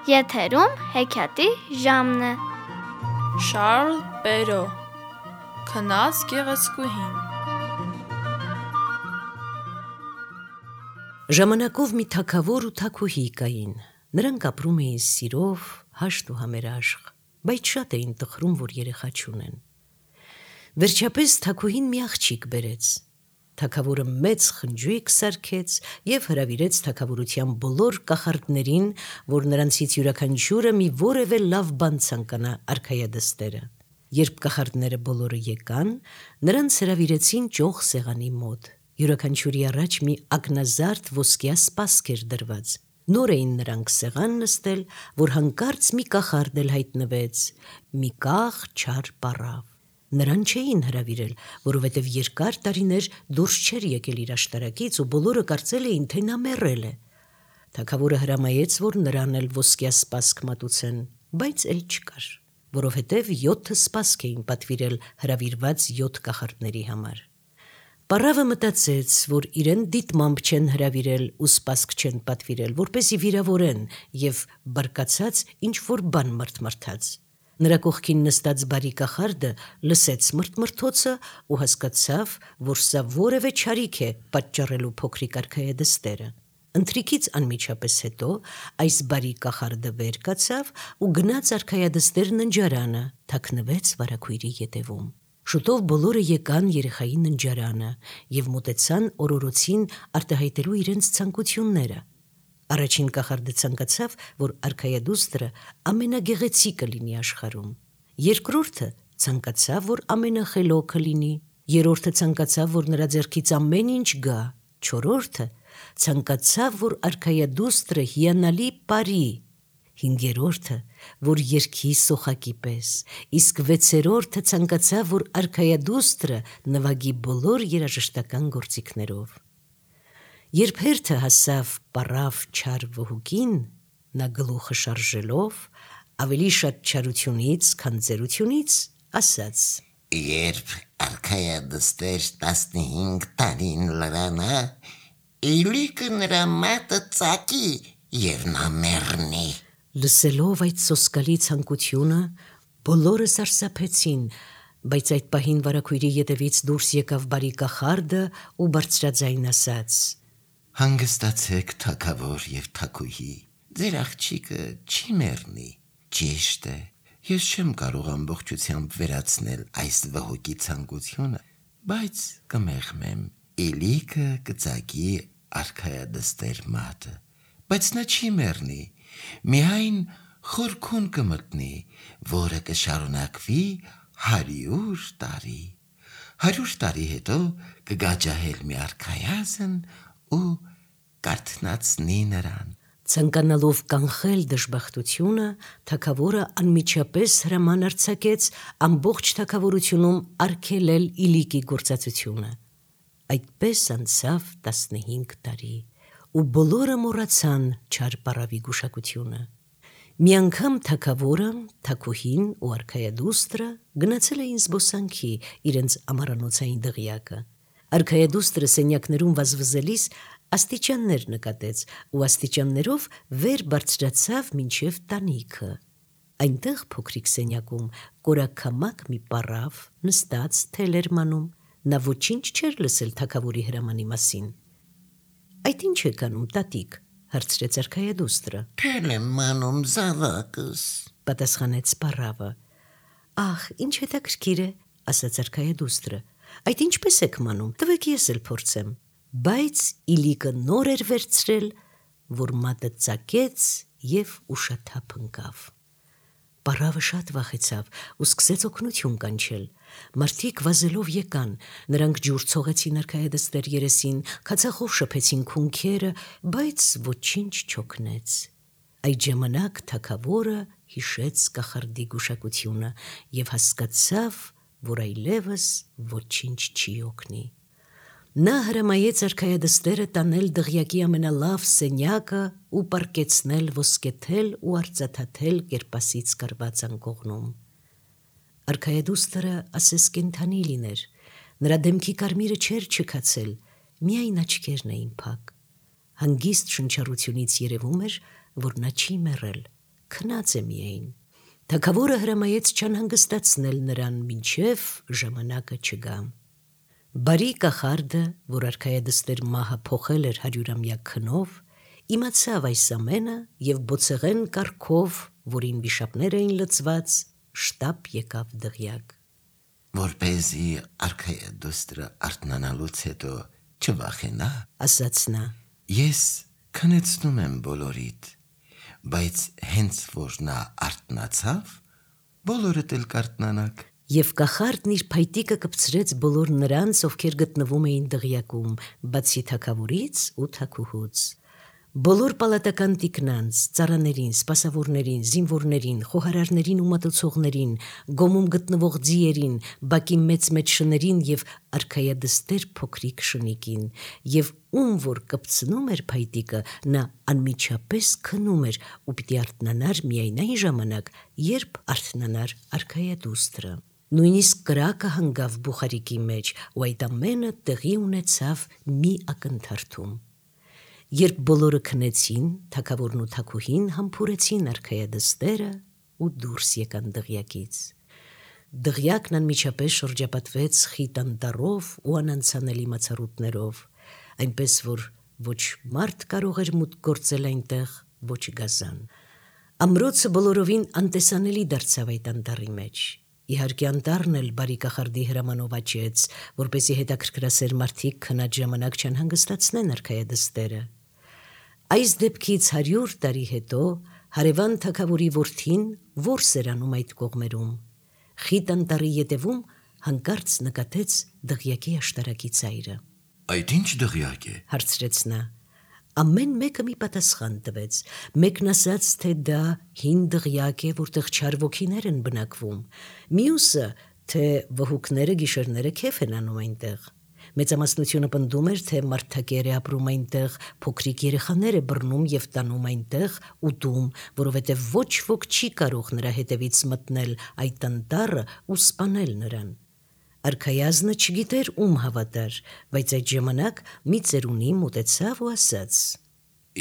Եթերում հեքիաթի ժամն է։ Շարլ Պերո Քնած գեղեցկուհին։ Ժամանակով մի թագավոր ու թագուհի կային։ Նրանք ապրում էին սիրով, հաշտ ու համերաշխ, բայց շատ էին տխրում, որ երեխա չունեն։ Վերջապես թագուհին մի աղջիկ բերեց։ Թագավորը մեծ խնջույք սարքեց և հրավիրեց թագավորության բոլոր կախարդներին, որ նրանցից յուրաքանչյուրը մի որևէ լավ բան ցանկանա արքայադստերը։ Երբ կախարդները բոլորը եկան, նրանց հրավիրեցին ճոխ սեղանի մոտ։ Յուրաքանչյուրի առաջ մի ակնազարդ ոսկյա սպասք էր դրված։ Նոր էին նրանք սեղան նստել, որ հանկարծ մի կախարդ էլ հայտնվեց, մի կախ չար պառավ։ Նրան չէին հրավիրել, որովհետև երկար տարիներ դուրս չէր եկել իր աշտարակից ու բոլորը կարծել էին, թե նա մեռել է։ Թագավորը հրամայեց, որ նրան էլ ոսկյա սպասք մատուցեն, բայց էլ չկար, որովհետև 7 սպասք էին պատվիրել հրավիրված 7 կախարդների համար։ Պառավը մտածեց, որ իրեն դիտմամբ չեն հրավիրել ու սպասք չեն պատվիրել, որպեսզի վիրավորեն, և բարկացած ինչ-որ բան մրթմրթաց։ Նրա կողքին նստած բարի կախարդը լսեց մրթմրթոցը ու հասկացավ, որ սա որևէ չարիք է պատճառելու փոքրիկ արքայադստերը։ Ընթրիքից անմիջապես հետո այս բարի կախարդը վեր կացավ ու գնաց արքայադստեր ննջարանը, թաքնվեց վարագույրի ետևում։ Շուտով բոլորը եկան երեխայի ննջարանը և մոտեցան օրորոցին արտահայտելու իրենց ցանկությունները։ Առաջին կախարդը ցանկացավ, որ արքայադուստրը ամենագեղեցիկը լինի աշխարհում։ Երկրորդը ցանկացավ, որ ամենախելոքը լինի։ Երրորդը ցանկացավ, որ նրա ձեռքից ամեն ինչ գա։ Չորրորդը ցանկացավ, որ արքայադուստրը հիանալի պարի։ Հինգերորդը, որ երգի սոխակի պես, իսկ վեցերորդը ցանկացավ, որ արքայադուստրը նվագի բոլոր երաժշտական գործիքներով։ Երբ հերթը հասավ պառավ չար վհուկին, նա գլուխը շարժելով, ավելի շատ չարությունից, քան ծերությունից, ասաց. Երբ արքայադստեր 15 տարին լրանա, իլիկը նրա մատը ծակի և նա մեռնի։ Լսելով այդ սոսկալի ցանկությունը, բոլորը սարսափեցին, բայց այդ պահին վարագույրի ետևից դուրս եկավ բարի կախարդը ու բարձրաձայն ասաց. Հանգստացեք, թագավոր և թագուհի, ձեր աղջիկը չի մեռնի։ Ճիշտ է, ես չեմ կարող ամբողջությամբ վերացնել այս վհուկի ցանկությունը, բայց կմեղմեմ, իլիկը կծակի արքայադստեր մատը, բայց նա չի մեռնի, միայն խորքուն կմտնի, որը կշարունակվի 100 տարի։ 100 տարի հետո կգա ջահել մի արքայազն ու կարթնացնի նրան։ Ցանկանալով կանխել դժբախտությունը, թագավորը անմիջապես հրաման արձակեց ամբողջ թագավորությունում արգելել իլիկի գործածությունը։ Այդպես անցավ 15 տարի, ու բոլորը մոռացան չար պառավի գուշակությունը։ Մի անգամ թագավորը, թագուհին ու արքայադուստրը գնացել էին զբոսանքի իրենց ամառանոցային դղյակը։ Արքայադուստրը սենյակներում վազվզելիս աստիճաններ նկատեց ու աստիճաններով վեր բարձրացավ մինչև տանիքը։ Այնտեղ փոքրիկ սենյակում կորաքամակ մի պառավ նստած թել էր մանում, նա ոչինչ չէր լսել թագավորի հրամանի մասին։ Այդ ինչ եք անում, տատիկ, հարցրեց արքայադուստրը։ Թել եմ մանում զավակս, պատասխանեց պառավը։ Ահ, ինչ հետաքրքիր է, ասաց արքայադուստրը։ Այդ ինչպես եք մանում, տվեք ես էլ փորձեմ։ Բայց իլիկը նոր էր վերցրել, որ մատը ծակեց և ուշաթափ ընկավ։ Պառավը շատ վախեցավ ու սկսեց օգնություն կանչել։ Մարդիկ վազելով եկան, նրանք ջուր ցողեցին արքայադստեր երեսին, քացախով շփեցին քունքերը, բայց ոչինչ չօգնեց։ Այդ ժամանակ թագավորը հիշեց կախարդի գուշակությունը և հասկացավ, որ այլևս ոչինչ չի օգնի։ Նա հրամայեց արքայադստերը տանել դղյակի ամենալավ սենյակը ու պառկեցնել ոսկեթել ու արծաթաթել կերպասից կարված անկողնում։ Արքայադուստրը ասես կենդանի լիներ, նրա դեմքի կարմիրը չէր չքացել, միայն աչքերն էին փակ։ Հանգիստ շնչառությունից երևում էր, որ նա չի մեռել, քնած է միայն։ Թագավորը հրամայեց չանհանգստացնել նրան, մինչև ժամանակը չգա։ Բարի կախարդը, որ արքայադստեր մահը փոխել էր 100-ամյա քնով, իմացավ այս ամենը և բոցեղեն կարգով, որին վիշապներ էին լցված, շտապ եկավ դղյակ։ Որպեսզի արքայադուստրը արթնանալուց հետո չվախենա, ասաց նա, ես քնեցնում եմ բոլորիդ, բայց հենց որ նա արթնացավ, բոլորդ էլ կարթնանաք։ Եվ կախարդն իր փայտիկը կպցրեց բոլոր նրանց, ովքեր գտնվում էին դղյակում, բացի թագավորից ու թագուհուց։ Բոլոր պալատական տիկնանց, ծառաներին, սպասավորներին, զինվորներին, խոհարարներին ու մատուցողներին, գոմում գտնվող ձիերին, բակի մեծ շներին և արքայադստեր փոքրիկ շնիկին, և ում որ կպցնում էր փայտիկը, նա անմիջապես քնում էր ու պիտի արթնանար միայն այն ժամանակ, երբ արթնանար արքայադուստրը։ Նույնիսկ կրակը հանգավ բուխարիկի մեջ, ու այդ ամենը տեղի ունեցավ մի ակնթարթում։ Երբ բոլորը քնեցին, թագավորն ու թագուհին համբուրեցին արքայադստերը ու դուրս եկան դղյակից։ Դղյակն անմիջապես շրջապատվեց խիտ անտառով ու անանցանելի մացառուտներով, այնպես որ ոչ մարդ կարող էր մուտք գործել այնտեղ, ոչ գազան։ Ամրոցը բոլորովին անտեսանելի դարձավ այդ անտառի մեջ։ Իհարկե անտառն էլ բարի կախարդի հրամանով աճեց, որպեսզի հետաքրքրասեր մարդիկ քնած ժամանակ չանհանգստացնեն արքայադստերը։ Այս դեպքից 100 տարի հետո հարևան թագավորի որդին որս էր անում այդ կողմերում։ Խիտ անտառի ետևում հանկարծ նկատեց դղյակի աշտարակի ծայրը։ Այդ ինչ դղյակ է, հարցրեց նա։ Ամեն մեկը մի պատասխան տվեց։ Մեկն ասաց, թե դա հին դղյակ է, որտեղ չար ոգիներ են բնակվում, մյուսը, թե վհուկները գիշերները քեֆ են անում այնտեղ։ Մեծամասնությունը պնդում էր, թե մարդակեր է ապրում այնտեղ, փոքրիկ երեխաներ է բռնում և տանում այնտեղ ուտում, որովհետև ոչ ոք չի կարող նրա հետևից մտնել այդ անտառը ու սպանել նրան։ Արքայազնը չգիտեր ում հավատար, բայց այդ ժամանակ մի ծերունի մոտեցավ ու ասաց.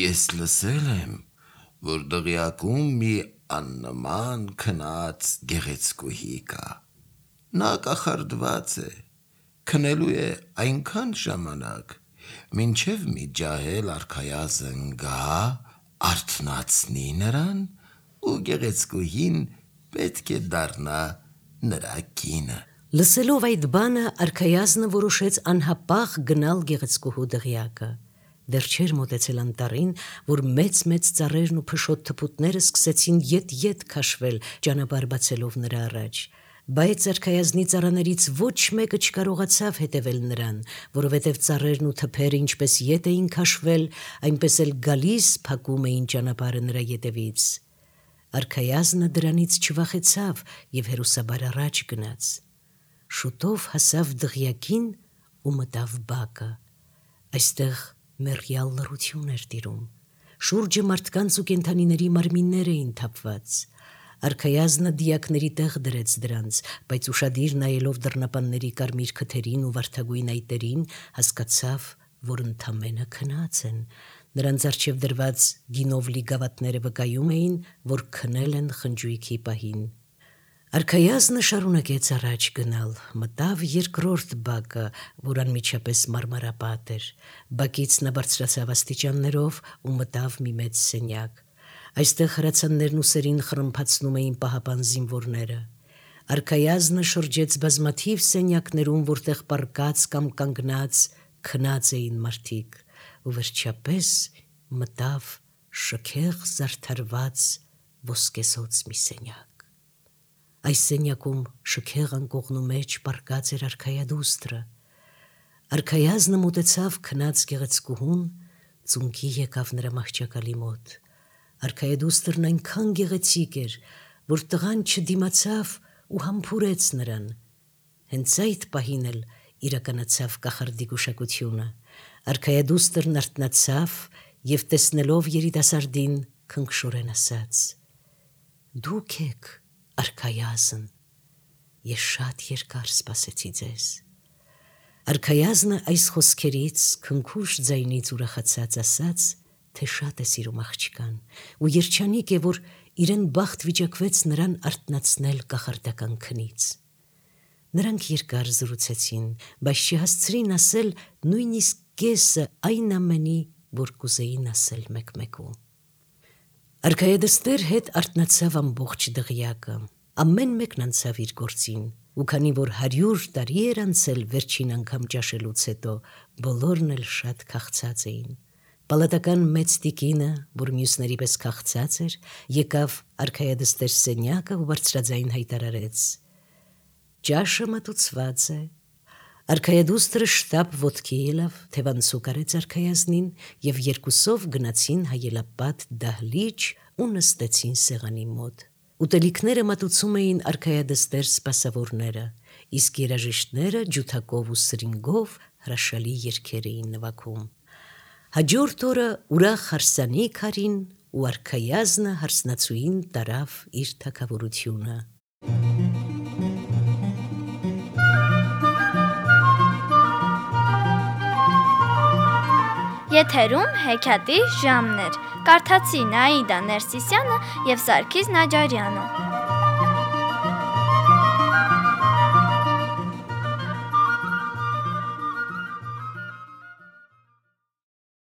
Ես լսել եմ, որ դղյակում մի աննման քնած գեղեցկուհի կա։ Նա կախարդված է, քնելու է այնքան ժամանակ, մինչև մի ջահել արքայազն գա, արթնացնի նրան ու գեղեցկուհին պետք է դառնա նրա կինը։ Լսելով այդ բանը, արքայազնը որոշեց անհապաղ գնալ գեղեցկուհու դղյակը։ Դեռ չէր մոտեցել անտառին, որ մեծ ծառերն ու փշոտ թփուտները սկսեցին ետ քաշվել, ճանապարհ բացելով նրա առաջ։ Բայց արքայազնի ծառաներից ոչ մեկը չկարողացավ հետևել նրան, որովհետև ծառերն ու թփերը ինչպես ետ էին քաշվել, այնպես էլ գալիս փակում էին ճանապարհը նրա ետևից։ Արքայազնը դրանից չվախեցավ և հերոսաբար առաջ գնաց։ Շուտով հասավ դղյակին ու մտավ բակը։ Այստեղ մեռյալ լռություն էր տիրում։ Շուրջը մարդկանց ու կենդանիների մարմիններ էին թափված։ Արքայազնը դիակների տեղ դրեց դրանց, բայց ուշադիր նայելով դռնապանների կարմիր քթերին ու վարդագույն այտերին, հասկացավ, որ ընդամենը քնած են։ Նրանց առջև դրված գինով լի գավաթները վկայում էին, որ քնել են խնջույքի պահին։ Արքայազնը շարունակեց առաջ գնալ, մտավ երկրորդ բակը, որ անմիջապես մարմարապատ էր։ Բակից նա բարձրացավ աստիճաններով ու մտավ մի մեծ սենյակ։ Այստեղ հրացաններն ու սերին խռմփացնում էին պահապան զինվորները։ Արքայազնը շրջեց բազմաթիվ սենյակներում, որտեղ պառկած կամ կանգնած քնած էին մարդիկ, ու վերջապես մտավ շքեղ զարդարված ոսկեզօծ մի սենյակ։ Այս սենյակում շքեղ անկողնու մեջ պառկած էր արքայադուստրը։ Արքայազնը մոտեցավ քնած գեղեցկուհուն, ծունկի եկավ նրա մահճակալի մոտ։ Արքայադուստրն այնքան գեղեցիկ էր, որ տղան չդիմացավ ու համբուրեց նրան։ Հենց այդ պահին էլ իրականացավ կախարդի գուշակությունը։ Արքայադուստրն արթնացավ և տեսնելով երիտասարդին քնքշորեն ասաց. «Դուք եք արքայազն, ես շատ երկար սպասեցի ձեզ»։ Արքայազնը այս խոսքերից քնքուշ ձայնից ուրախացած ասաց, թե շատ է սիրում աղջկան ու երջանիկ է, որ իրեն բախտ վիճակվեց նրան արթնացնել կախարդական քնից։ Նրանք երկար զրուցեցին, բայց չհասցրին ասել նույնիսկ կեսը այն ամենի, որ կուզեին ասել մեկ-մեկու։ Արքայադստեր հետ արթնացավ ամբողջ դղյակը, ամեն մեկն անցավ իր գործին, ու քանի որ 100 տարի էր անցել վերջին անգամ ճաշելուց հետո, բոլորն էլ շատ քաղցած էին։ Պալատական մեծ տիկինը, որ մյուսների պես քաղցած էր, եկավ արքայադստեր սենյակը ու բարձրաձայն հայտարարեց. «Ճաշը մատուցված է»։ Արքայադուստրը շտապ ոտքի ելավ, թևանցուկ արեց արքայազնին և երկուսով գնացին հայելապատ դահլիճ ու նստեցին սեղանի մոտ։ Ուտելիքները մատուցում էին արքայադստեր սպասավորները, իսկ երաժիշտները ջութակով ու սրինգով հրաշալի երգեր էին նվագում։ Հաջորդ օրը ուրախ հարսանիք արին ու արքայազնը հարսնացուին տարավ իր թագավորությունը։ Եթերում հեքիաթի ժամն էր։ Կարդացին Աիդա Ներսիսյանը և Սարգիս Նաջարյանը։